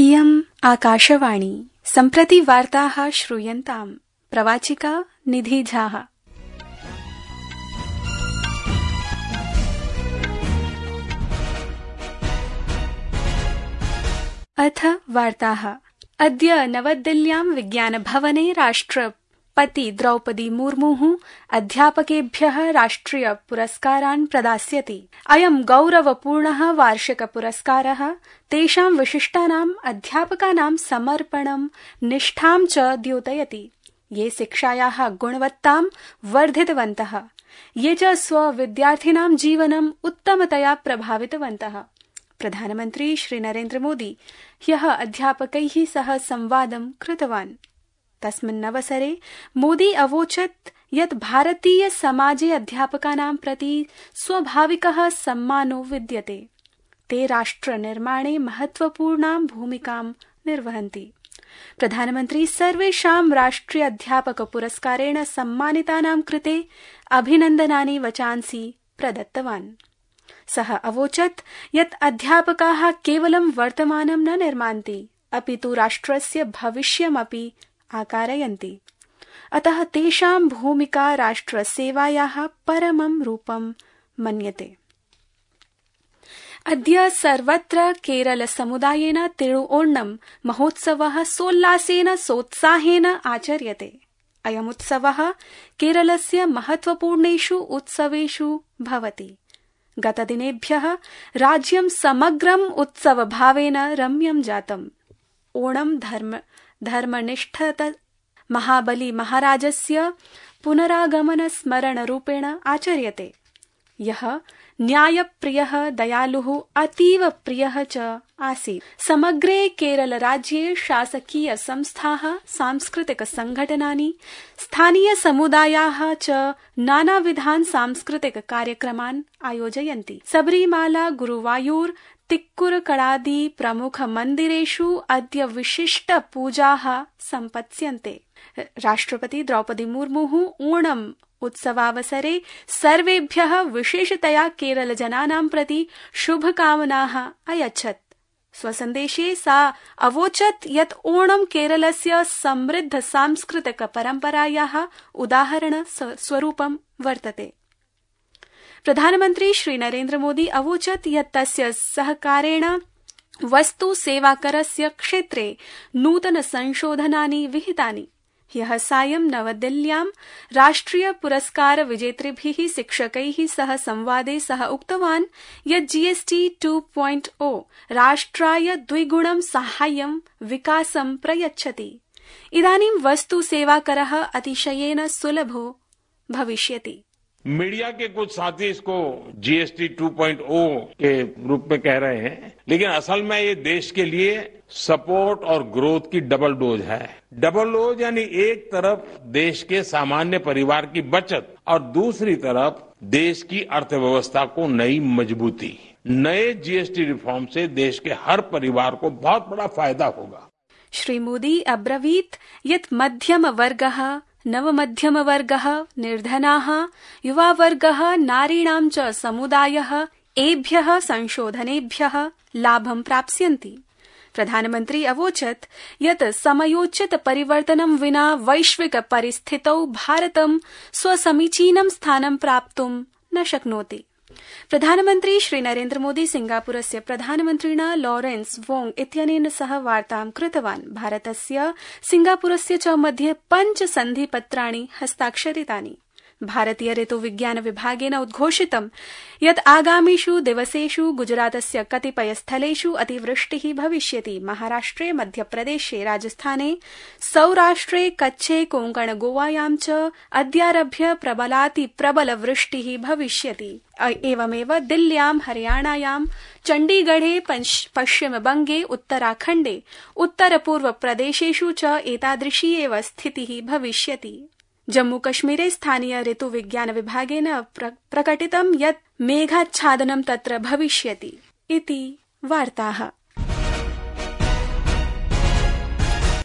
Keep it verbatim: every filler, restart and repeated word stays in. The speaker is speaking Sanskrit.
इयम् आकाशवाणी। सम्प्रति वार्ताः श्रूयन्ताम्। प्रवाचिका निधि झा। अथ वार्ताः। अद्य नवदिल्ल्यां विज्ञानभवने राष्ट्रपति द्रौपदी मुर्मुः अध्यापकेभ्यः राष्ट्रिय पुरस्कारान् प्रदास्यति। अयं गौरवपूर्णः वार्षिक पुरस्कारः तेषां विशिष्टानाम् अध्यापकानां समर्पणं निष्ठां च द्योतयति, ये शिक्षायाः गुणवत्तां वर्धितवन्तः, ये च स्वविद्यार्थिनां जीवनम् उत्तमतया प्रभावितवन्तः। प्रधानमन्त्री श्री नरेन्द्र मोदी ह्यः अध्यापकैः सह संवादं कृतवान्। तस्मिन्नवसरे मोदी अवोचत् यत् भारतीय समाजे अध्यापकानां प्रति स्वाभाविकः सम्मानो विद्यते। ते राष्ट्रनिर्माणे महत्वपूर्णां भूमिकां निर्वहन्ति। प्रधानमन्त्री सर्वेषां राष्ट्रिय अध्यापक पुरस्कारेण सम्मानितानां कृते अभिनन्दनानि वचांसि प्रदत्तवान्। सः अवोचत् यत् अध्यापकाः केवलं वर्तमानं न निर्मान्ति, अपि तु राष्ट्रस्य भविष्यमपि आकारयन्ति। अतः तेषां भूमिका राष्ट्रसेवायाः परमं रूपं मन्यते। अद्य सर्वत्र केरल समुदायेन तिरुओणम् महोत्सवः सोल्लासेन सोत्साहेन आचर्यते। अयमुत्सवः केरलस्य महत्वपूर्णेषु उत्सवेषु भवति। गतदिनेभ्यः राज्यं समग्रम् उत्सवभावेन रम्यं जातम्। ओणं धर्म धर्मनिष्ठत महाबली महाराजस्य पुनरागमन स्मरणरूपेण आचर्यते, यः न्यायप्रियः दयालुः अतीव प्रियः च आसीत्। समग्रे केरल राज्ये शासकीय संस्थाः, सांस्कृतिक संघटनानि, स्थानीय समुदायाः च नानाविधान् सांस्कृतिक कार्यक्रमान् आयोजयन्ति। सबरीमाला, गुरुवायूर, तिक्कुरकडादि प्रमुख मन्दिरेषु अद्य विशिष्ट पूजाः सम्पत्स्यन्ते। राष्ट्रपति द्रौपदी मुर्मुः ओणम् उत्सवावसरे सर्वेभ्यः विशेषतया केरल जनानां प्रति शुभकामनाः अयच्छत्। स्वसन्देशे सा अवोचत् यत् ओणं केरलस्य समृद्ध सांस्कृतिक परम्परायाः उदाहरण स्वरूपं वर्तते। प्रधानमन्त्री श्री नरेन्द्र मोदी अवोचत् यत् तस्य सहकारेण वस्तु सेवाकरस्य क्षेत्रे नूतन संशोधनानि विहितानि। ह्यः सायं नवदिल्ल्यां राष्ट्रिय पुरस्कार विजेतृभिः शिक्षकैः सह संवादे सः उक्तवान् यत् जीएसटी टू पॉइंट ओ राष्ट्राय द्विगुणं साहाय्यं विकासं प्रयच्छति। इदानीं वस्तु सेवाकरः अतिशयेन सुलभो भविष्यति। मीडिया के कुछ साथी इसको जीएसटी टू पॉइंट ओ के रूप में कह रहे हैं, लेकिन असल में ये देश के लिए सपोर्ट और ग्रोथ की डबल डोज है। डबल डोज यानी एक तरफ देश के सामान्य परिवार की बचत और दूसरी तरफ देश की अर्थव्यवस्था को नई मजबूती। नए जीएसटी रिफॉर्म से देश के हर परिवार को बहुत बड़ा फायदा होगा। श्री मोदी अब्रवीत् यत् मध्यम वर्गः, नवमध्यम वर्गः, निर्धनाः, युवावर्गः, नारीणां च समुदायः एभ्यः संशोधनेभ्यः लाभं प्राप्स्यन्ति। प्रधानमन्त्री अवोचत् यत् समयोचित परिवर्तनं विना वैश्विक परिस्थितौ भारतं स्वसमीचीनं स्थानं प्राप्तुं न शक्नोति। प्रधानमन्त्री श्री नरेन्द्र मोदी सिंगापुरस्य प्रधानमन्त्रिणा लॉरेन्स वोंग इत्यनेन सह वार्तां कृतवान्। भारतस्य सिंगापुरस्य च मध्ये पञ्च सन्धिपत्राणि हस्ताक्षरितानि। भारतीय ऋतुविज्ञान विभागेन उद्घोषितं यत् आगामिषु दिवसेषु गुजरातस्य कतिपय स्थलेषु अतिवृष्टिः भविष्यति। महाराष्ट्रे, मध्यप्रदेशे, राजस्थाने, सौराष्ट्रे, कच्छे, कोंकण, गोवायां च अद्यारभ्य प्रबलाति प्रबल वृष्टिः भविष्यति। एवमेव दिल्ल्यां, हरियाणायां, चण्डीगढे, पश्चिमबंगे, उत्तराखण्डे, उत्तरपूर्व प्रदेशेषु च एतादृशी एव स्थितिः भविष्यति। जम्मूकश्मीरे स्थानीय ऋतुविज्ञान विभागेन प्रकटितं यत् मेघाच्छादनं तत्र भविष्यति इति वार्ताः।